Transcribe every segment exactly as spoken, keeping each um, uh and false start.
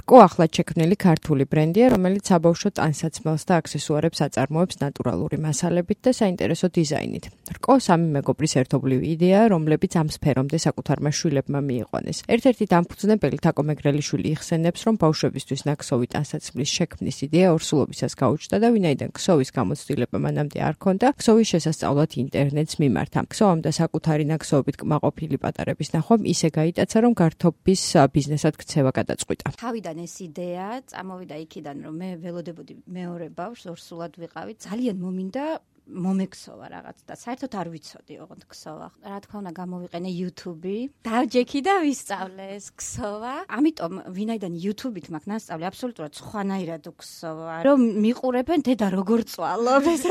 რკო ახლად შექმნილი ქართული ბრენდია, რომელიც საბავშვო ტანსაცმელს და აქსესუარებს აწარმოებს ნატურალური მასალებით და საინტერესო დიზაინით. რკო სამი მეგობრის ერთობლივი იდეაა, რომლებიც ამ სფერომდე საკუთარმა შვილებმა მიიყვანეს. ერთ-ერთი დამფუძნებელი თაკო მეგრელიშვილი იხსენებს, რომ ბავშვებისთვის ნაკსოვი ტანსაცმლის შექმნის იდეა ორსულობისას გაუჩნდა და ვინაიდან ქსოვის გამოცდილება მანამდე არ ჰქონდა, ქსოვის შესასწავლად ინტერნეტს მიმართა. ქსოვამ და საკუთარი ნაკსოვებით კმაყოფილი პატარების ნახვამ ისე გაიტაცა, რომ გართობის ბიზნესად ქცევა გადაწყვიტა. თავიდან ეს იდეა წამოვიდა იქიდან, რომ მე ველოდებოდი მეორე ბავშვს, ორსულად ვიყავი, ძალიან მომინდა მომექსოვა რაღაც და საერთოდ არ ვიცოდი ოღონდ ქსოვა. რა თქმა უნდა გამოვიყენე YouTube-ი, დავჯექი და ვისწავლე ეს ქსოვა. ამიტომ ვინაიდან YouTube-ით მაქვს ნასწავლი აბსოლუტურად სხვანაირად ვქსოვა. რომ მიყურებენ დედა როგორ წვალობს ესე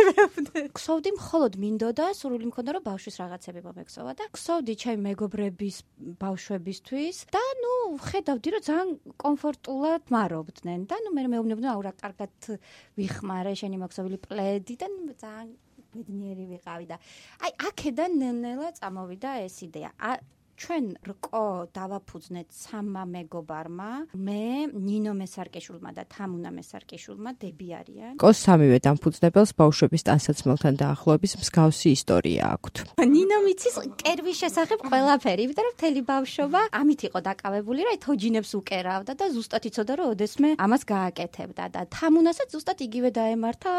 ქსოვდი მხოლოდ მინდოდა, სურვილი მქონდა რომ ბავშვის რაღაცები მომექსოვა და ქსოვდი ჩემი მეგობრების ბავშვებისთვის და ნუ ხედავდი რომ ძალიან კომფორტულად მარობდნენ და ნუ მე მეუბნებოდნენ აუ რა კარგად ვიხმარე შენი მოქსოვილი პლედი და ძალიან ბედნიერი ვიყავი და აი აქედან ნელ-ნელა წამოვიდა ეს იდეა. ჩვენ რკო დავაფუძნეთ სამმა მეგობარმა, მე, ნინო მესარკეშვილმა და თამუნა მესარკეშვილმა, დები არიან. რკოს სამივე დამფუძნებელს ბავშვების ტანსაცმელთან დაახლოების მსგავსი ისტორია აქვთ. ნინო მიცის კერვის შესახებ ყველაფერი, იმიტომ რომ მთელი ბავშვობა ამით იყო დაკავებული, რა თოჯინებს უკერავდა და ზუსტად იცოდა რომ ოდესმე ამას გააკეთებდა და თამუნასაც ზუსტად იგივე დაემართა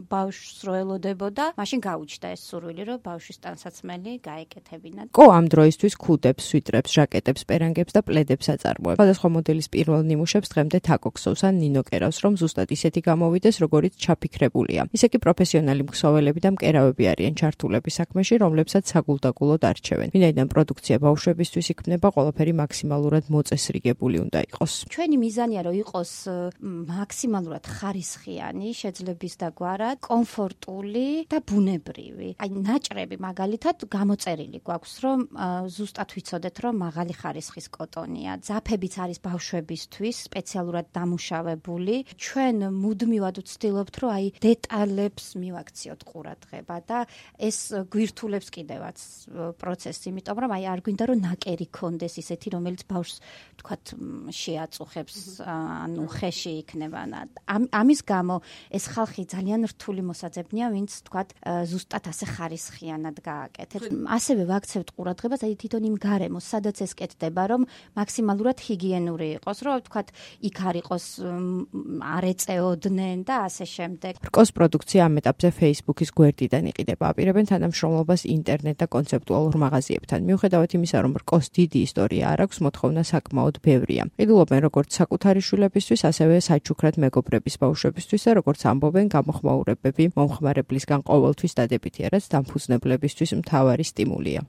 ბავშვს რო ელოდებოდა, მაშინ გაუჩნდა ეს სურვილი რომ ბავშვის ტანსაცმელი გაეკეთებინა. რკო ამ დროისთვის ქუდებს, სვიტრებს, ჟაკეტებს, პერანგებს და პლედებს აწარმოებს. სხვადასხვა მოდელის პირველ ნიმუშებს დღემდე თაკო ქსოვს ან ნინო კერავს, რომ ზუსტად ისეთი გამოვიდეს, როგორიც ჩაფიქრებულია. ისე კი პროფესიონალი მქსოველები და მკერავები არიან ჩართულები საქმეში, რომლებსაც საგულდაგულოდ არჩევენ. ვინაიდან პროდუქცია ბავშვებისთვის იქმნება, ყველაფერი მაქსიმალურად მოწესრიგებული უნდა იყოს. ჩვენი მიზანია რომ იყოს მაქსიმალურად ხარისხიანი, შეძლების დაგვარად, კომფორტული და ბუნებრივი. აი ნაჭრები მაგალითად გამოწერილი გვაქვს, რომ ზუსტად ვიცოდეთ, რომ მაღალი ხარისხის კოტონია. ძაფებიც არის ბავშვებისთვის სპეციალურად დამუშავებული. ჩვენ მუდმივად ვცდილობთ, რომ აი დეტალებს მივაქციოთ ყურადღება და ეს გვირთულებს კიდევაც პროცესს, იმიტომ რომ აი არ გვინდა რომ ნაკერი კონდეს ისეთი, რომელიც ბავშვს თქვათ შეაწუხებს, ანუ ხეში იქნება. ამის გამო ეს ხალხი ძალიან რთული მოსაძებნია, ვინც თქვათ ზუსტად ასე ხარისხიანად გააკეთებს. ასევე ვაქცევთ ყურადღებას აი თვითონ იმ გარემოს, სადაც ეს კეთდება, რომ მაქსიმალურად ჰიგიენური იყოს, რომ თქვათ იქ არ იყოს არ ეწეოდნენ და ასე შემდეგ. რკოს პროდუქცია ამ ეტაპზე Facebook-ის გვერდიდან იყიდება. აპირებენ თანამშრომლობას ინტერნეტ და კონცეპტუალურ მაღაზიებთან. მიუხედავად იმისა, რომ რკოს დიდი ისტორია არ აქვს, მოთხოვნა საკმაოდ ბევრია. ყიდულობენ როგორც საკუთარი შვილებისთვის, ასევე საჩუქრად მეგობრების ბავშვებისთვის და როგორც ამბობენ, გამოხმაურებები მომხმარებლისგან ყოველთვის დადებითია, რაც დამფუძნებლებისთვის მთავარი სტიმულია.